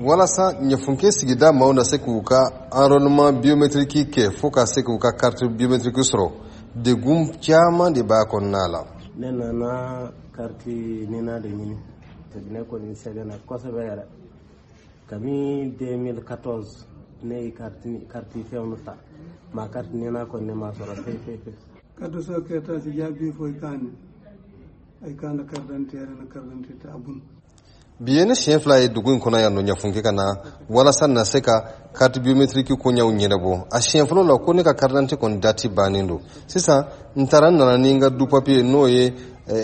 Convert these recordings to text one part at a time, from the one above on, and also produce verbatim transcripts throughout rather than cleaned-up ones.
Walasa Ɲɛfunke sigida maaw na se k'u ka enrôlement biométrique kɛ fo ka se k'u ka carte biométrique sɔrɔ, degun caman de b'a kɔnɔna la. Ne nana carte NINA de ɲini. Ne kɔni sɛgɛnna kosɛbɛ yɛrɛ. Kabini deux mille quatorze ne ye carte carte fɛnw ta, ma carte NINA kɔni ne ma sɔrɔ fewu fewu fewu. Kaddo so ketaji jaabi foy kane ay kana carte d'identité yɛrɛ na carte d'identité abun. Bi ye ne siɲɛ fila ye dugu in kɔnɔ yan nɔ Ɲafunke ka na walasa na se ka carte biométrique koɲɛw ɲɛnabɔ. A siɲɛ fɔlɔ la, ko ne ka carte d'identité kɔni date bannen don. Sisan n taara, n nana ni n ka du papier, n'o ye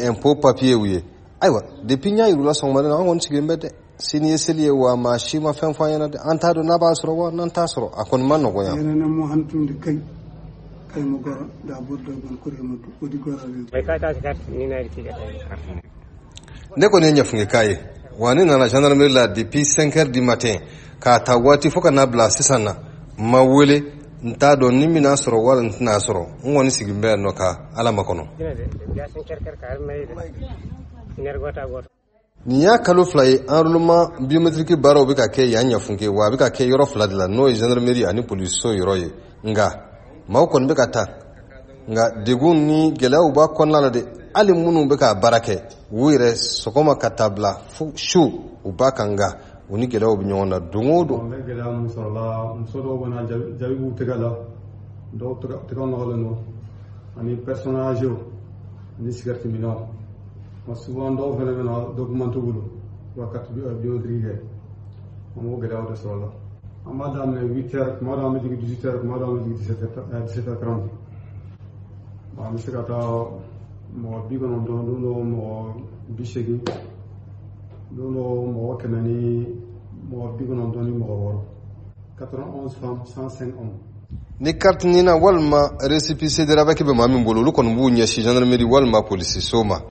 impôt papier ye. Ayiwa, depuis n y'a yir'u la sɔgɔmada in na, an kɔni sigilen bɛ dɛ. Sini ye seli ye wa, maa si ma fɛn fɔ an ɲɛna dɛ. An t'a dɔn n'a b'a sɔrɔ wa n'an t'a sɔrɔ. A kɔni ma nɔgɔn yan. Yenene mo hantunde kay kay mo goro da burdo gon kuri mo udi goro. Ne kɔni ye Ɲafunke k'a ye wa, ne nana gendarmerie la depuis cinq heures du matin k'a ta waati fo ka n'a bila sisan na, n ma wele. N t'a dɔn ni n bɛna sɔrɔ wala n tɛna sɔrɔ. N kɔni sigilen bɛ yan nɔ ka Ala makɔnɔ. Nin y'a kalo fila ye enrôlement biométrique baaraw bɛ ka kɛ yan Ɲafunke wa, a bɛ ka kɛ yɔrɔ fila de la, n'o ye gendarmerie ani polisiso yɔrɔ ye. Nka maaw kɔni bɛ ka taa, nka degun ni gɛlɛyaw b'a kɔnɔna la dɛ. Hali minnu bɛ ka baara kɛ u yɛrɛ, sɔgɔma ka taa bila fo su, u b'a kan, nka u ni gɛlɛyaw bɛ ɲɔgɔn na don o don. N bɛ gɛlɛya mun sɔrɔ la, muso dɔw bɛ na, jaabi b'u tɛgɛ la, dɔw tɛgɛ nɔgɔlen don, ani personnes âgées ani cigarette minnaw. Souvent dɔw fana bɛ na, document t'u bolo, u ka carte biométrique kɛ. An b'o gɛlɛyaw de sɔrɔ la. An b'a daminɛ huit heures, kuma dɔw an bɛ jigin dix-huit heures, kuma dɔw an bɛ jigin dix-sept heures trente. An bɛ se ka taa mɔgɔ bi kɔnɔntɔn, don dɔw mɔgɔ bi seegin, don dɔw mɔgɔ kɛmɛ ni mɔgɔ bi kɔnɔntɔn ni mɔgɔ wɔɔrɔ, quatre-vingt-onze femmes, cent cinq hommes. Ni carte NINA walima récépissé de RAVEC bɛ maa min bolo, olu kɔni b'u ɲɛsin gendarmerie walima polisiso ma.